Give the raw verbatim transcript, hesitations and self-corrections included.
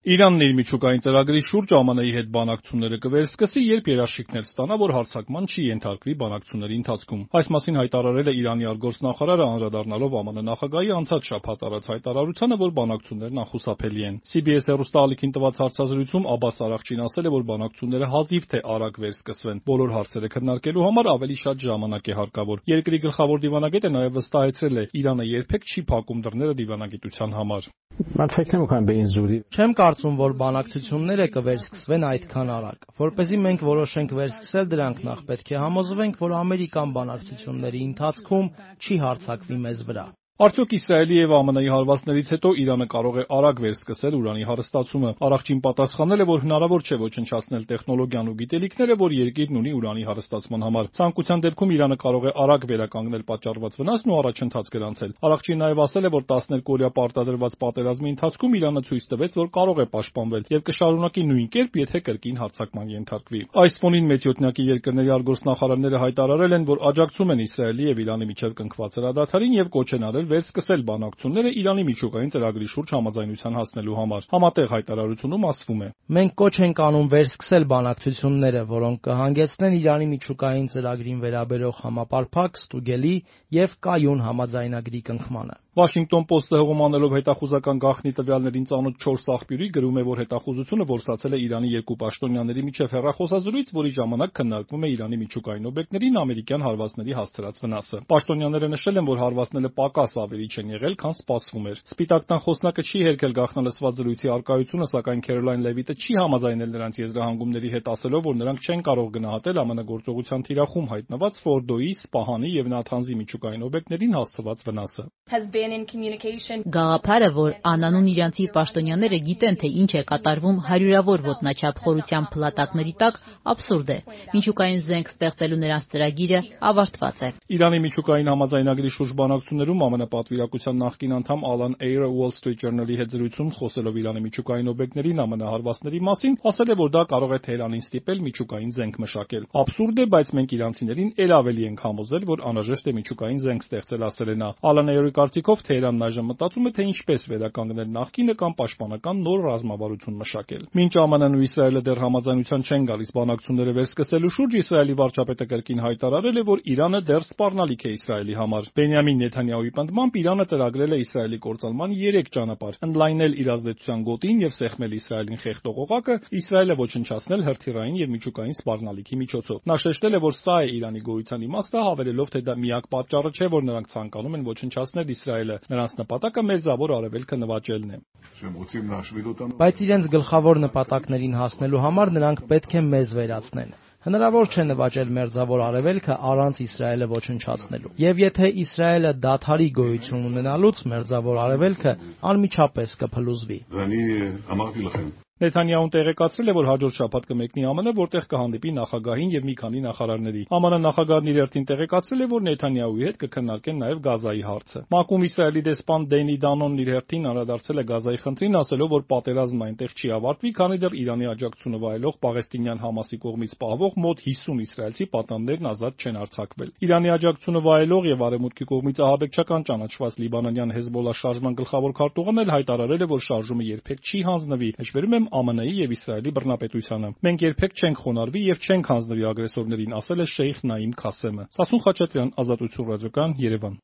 Իրանն իր միջուկային ծրագրի շուրջ ԱՄՆ-ի հետ բանակցությունները կվերսկսի, երբ երաշխիքներ ստանա, որ հարձակման չի ենթարկվի բանակցությունների ընթացքում։ Այս մասին հայտարարել է Իրանի արտգործնախարարը, անդրադառնալով ԱՄՆ նախագահի անցած շաբաթ արած հայտարարությանը, որ բանակցություններն անխուսափելի են։ C B S հեռուստաալիքին տված հարցազրույցում Աբբաս Արաղչին ասել է, որ բանակցությունները հազիվ թե արագ վերսկսվեն։ Բոլոր հարցերը քննարկելու համար ավելի շատ ժամանակ է հարկավոր։ Երկրի գլխավոր դիվանագետը նաև վստահեցրել է, Իրանը երբեք չի փակում դռները դիվանագիտության համար։ Չեմ կարծում, որ բանակցությունները կվերսկսվեն այդքան արագ։ Որպեսզի մենք որոշենք վերսկսել դրանք, նախ պետք է համոզվենք, որ ամերիկան բանակցությունների ընթացքում չի հարձակվի մեզ վրա։ Արդյոք Իսրայելի և ԱՄՆ-ի հարվածներից հետո Իրանը կարող է արագ վերսկսել ուրանի հարստացումը։ Արաղչին պատասխանել է, որ հնարավոր չէ ոչնչացնել տեխնոլոգիան ու գիտելիքները, որ երկիրն ունի ուրանի հարստացման համար։ Ցանկության դեպքում Իրանը կարող է արագ վերականգնել պատճառված վնասն ու առաջընթաց գրանցել։ Արաղչին նաև ասել է, որ տասներկու օրյա պարտադրված պատերազմի ընթացքում Իրանը ցույց տվեց, որ կարող է պաշտպանվել և կշարունակի նույն կերպ, եթե կրկին հարձակման ենթարկվի։ Այս ֆոնին մեծյոթնյակի երկրների արտգործնախարարները հայտարարել են, որ աջակցում են Իսրայելի և Իրանի միջև կնքված հրադադարին և կոչ են արել վերսկսել բանակցությունները Իրանի միջուկային ծրագրի շուրջ համաձայնության հասնելու համար։ Համատեղ հայտարարությունում ասվում է. Մենք կոչ ենք անում վերսկսել բանակցությունները, որոնք կհանգեցնեն Իրանի միջուկային ծրագրին վերաբերող համապարփակ, ստուգելի և կայուն համաձայնագրի կնքմանը։ Washington Post-ը հղում անելով հետախուզական գաղտնի տվյալներին ծանոթ չորս աղբյուրի գրում է, որ հետախուզությունը որսացել է Իրանի երկու պաշտոնյաների միջև հեռախոսազրույց, որի ժամանակ քննարկվում է Իրանի միջուկային օբյեկտներին ամերիկյան հարվածների հասցրած վնասը։ Պաշտոնյաները նշել են, որ հարվածները պակաս ավելիչ են եղել, քան սպասվում էր։ Սպիտակ տան խոսնակը չի հերքել գաղտնալսված զրույցի առկայությունը, սակայն Քերոլայն Լևիտը չի համաձայնել նրանց եզրահանգումների հետ, ասելով, որ նրանք չեն կարող գնահատել ԱՄՆ գործողության թիրախում հայտնված Ֆորդոյի, Սպահանի և Նաթանզի միջուկային օբյեկտներին հասցված վնասը։ Գաղափարը, որ անանուն իրանցի պաշտոնյաները գիտեն, թե ինչ է կատարվում հարյուրավոր ոտնաչափ խորության փլատակների տակ, աբսուրդ է։ Միջուկային զենք ստեղծելու նրանց ծրագիրը ավարտված է։ Իրանի միջուկային համաձայնագրի շուրջ բանակցություններում ԱՄՆ պատվիրակության նախկին անդամ Ալան Էյրը Wall Street Journal-ի հետ զրույցում խոսելով Իրանի միջուկային օբյեկտներին ԱՄՆ հարվածների մասին, ասել է, որ դա կարող է Թեհրանին ստիպել միջուկային զենք մշակել։ Աբսուրդ է, բայց մենք իրանցիներին ել ավելի ենք համոզել, որ անհրաժեշտ է միջուկային զենք ստեղծել, ասել է նա։ Ալան Էյրի կարծիքով Թեհրանն այժմ մտածում է, թե ինչպես վերականգնել նախկինը կամ պաշտպանական նոր ռազմավարություն մշակել։ Մինչ ԱՄՆ-ն ու Իսրայելը դեռ համաձայնության չեն գալիս բանակցությունները վերսկսելու շուրջ, Իսրայելի վարչապետը կրկին հայտարարել է, որ Իրանը դեռ սպառնալիք է Իսրայելի համար։ Բենյամին Նեթանյահուի պնդմամբ Իրանը ծրագրել է Իսրայելի կործանման երեք ճանապարհ՝ ընդլայնել իր ազդեցության գոտին և սեղմել Իսրայելին խեղդող օղակը, Իսրայելը ոչնչացնել հրթիռային և միջուկային սպառնալիքի միջոցով։ Նա շեշտել է, որ սա է Իրանի գոյության իմաստը, հավելելով, թե դա միակ պատճառը չէ, որ նրանք ցանկանում են ոչնչացնել Իսրայելը։ Նրանց նպատակը Մերձավոր Արևելքը նվաճելն է։ Բայց իրենց գլխավոր նպատակներին հասնելու համար նրանք պետք է մեզ վերացնեն։ Հնարավոր չէ նվաճել Մերձավոր Արևելքը առանց Իսրայելը ոչնչացնելու։ Եվ եթե Իսրայելը դադարի գոյություն ունենալուց, Մերձավոր Արևելքը անմիջապես կփլուզվի։ Նեթանյահուն տեղեկացրել է, որ հաջորդ շաբաթ կմեկնի ԱՄՆ, որտեղ կհանդիպի նախագահին և մի քանի նախարարների։ ԱՄՆ նախագահն իր հերթին տեղեկացրել է, որ Նեթանյահուի հետ կքննարկեն նաև Գազայի հարցը։ ՄԱԿ-ում Իսրայելի դեսպան Դենի Դանոնն իր հերթին անդրադարձել է Գազայի խնդրին, ասելով, որ պատերազմն այնտեղ չի ավարտվի, քանի դեռ Իրանի աջակցությունը վայելող Պաղեստինյան Համասի կողմից պահվող մոտ հիսուն իսրայելցի պատանդներն ազատ չեն արձակվել։ Իրանի աջակցությունը վայելող և Արևմուտքի կողմից ահաբեկչական ճանաչված լիբանանյան Հեզբոլլահ շարժման գլխավոր քարտուղարն էլ հայտարարել է, որ շարժումը երբեք չի հանձնվի։ Հեչվերում եմ ԱՄՆ-ի և Իսրայելի բռնապետությանը։ Մենք երբեք չենք խոնարհվի և չենք հանձնվի ագրեսորներին, ասել է Շեյխ Նաիմ Քասեմը։ Սասուն Խաչատրյան, Ազատություն ռադիոկայան, Երևան։